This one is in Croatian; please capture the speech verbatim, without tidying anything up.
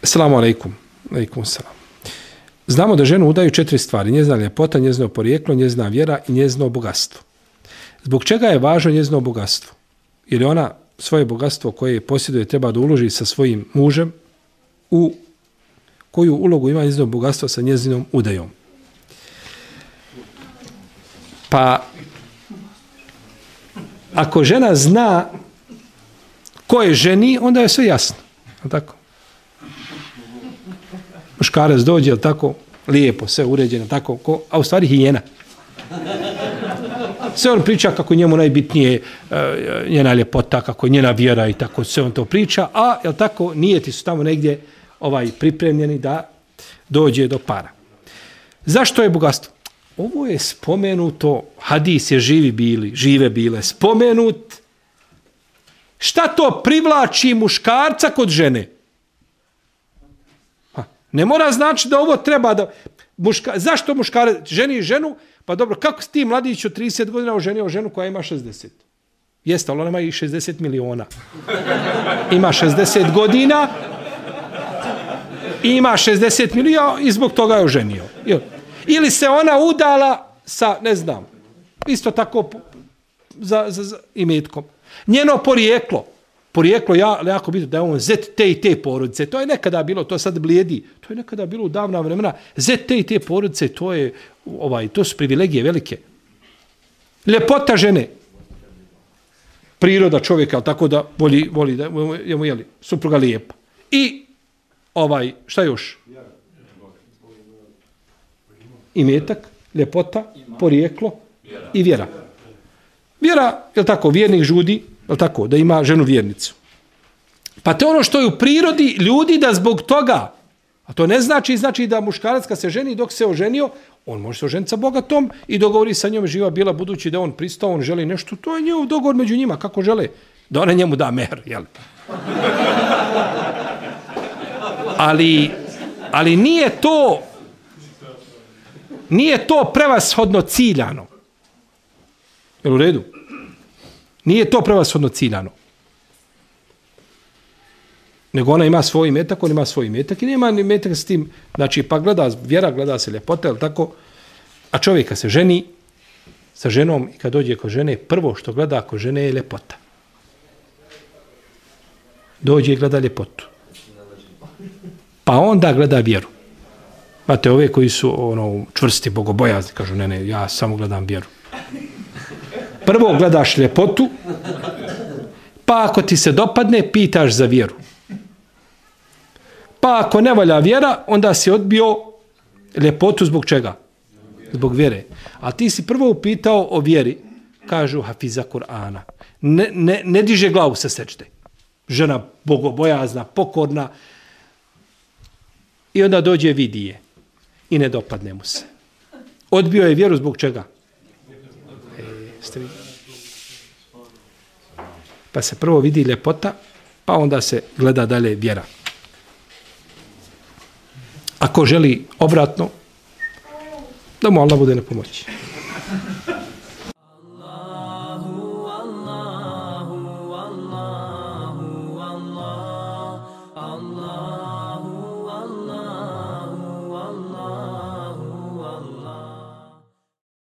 Assalamu alaikum. Alaikum salam. Znamo da ženu udaju četiri stvari. Njezina ljepota, njezino porijeklo, njezina vjera i njezino bogatstvo. Zbog čega je važno njezino bogatstvo? Jer je ona svoje bogatstvo koje posjeduje treba da uloži sa svojim mužem u koju ulogu ima njezino bogatstvo sa njezinom udajom. Pa ako žena zna ko je ženi, onda je sve jasno. Je tako? Muškarac dođe, je tako, lijepo, sve uređeno, tako, ko, a u stvari hijena. Sve on priča kako njemu najbitnije uh, njena ljepota, kako je njena vjera i tako, sve on to priča, a, jel tako, nijeti su tamo negdje ovaj, pripremljeni da dođe do para. Zašto je bogatstvo? Ovo je spomenuto, hadis je živi bili, žive bile, spomenut. Šta to privlači muškarca kod žene? Ha, ne mora znači da ovo treba da... Muška, zašto muškarac ženi ženu? Pa dobro, kako si ti mladić od trideset godina oženio ženu koja ima šezdeset? Jeste, ali ona ima i šezdeset miliona. Ima šezdeset godina, ima šezdeset miliona i zbog toga je oženio. Ili se ona udala sa, ne znam, isto tako za, za, za imetkom. Njeno porijeklo, porijeklo ja, jako bitno da je on zet te i te porodice. To je nekada bilo, to sad blijedi, to je nekada bilo u davna vremena. Zet te i te porodice, to je, ovaj, to su privilegije velike. Ljepota žene. Priroda čovjeka, tako da voli, voli da je mu jeli, supruga lijepa. I ovaj, šta još? Imetak, ljepota, porijeklo i vjera. Vjera, je li tako, vjernik žudi, je li tako, da ima ženu vjernicu. Pa to je ono što je u prirodi ljudi da zbog toga, a to ne znači, znači da muškarac kad se ženi dok se oženio, on može se oženiti sa bogatom i dogovori sa njom živa bila budući da on pristao, on želi nešto, to je njegov dogovor među njima, kako žele, da ona njemu da mehr, jel? Ali, ali nije to nije to prevashodno ciljano. Jel u redu? Nije to prevashodno ciljano. Nego ona ima svoj imetak, on ima svoj imetak i nema ni imetak s tim. Znači, pa gleda, vjera gleda se ljepota, jel tako? A čovjeka se ženi sa ženom i kad dođe kod žene, prvo što gleda kod žene je ljepota. Dođe i gleda ljepotu. Pa onda gleda vjeru. Znate, ove koji su ono, čvrsti, bogobojazni, kažu, ne, ne, ja samo gledam vjeru. Prvo gledaš ljepotu, pa ako ti se dopadne, pitaš za vjeru. Pa ako ne valja vjera, onda si odbio ljepotu zbog čega? Zbog vjere. A ti si prvo upitao o vjeri, kažu hafiza Kur'ana. Ne, ne, ne diže glavu sa sečde. Žena bogobojazna, pokorna. I onda dođe vidi je. I ne dopadne mu se. Odbio je vjeru zbog čega? E, ste vidjeli? Pa se prvo vidi ljepota, pa onda se gleda dalje vjera. Ako želi obratno, da mu Allah bude na pomoći. Allah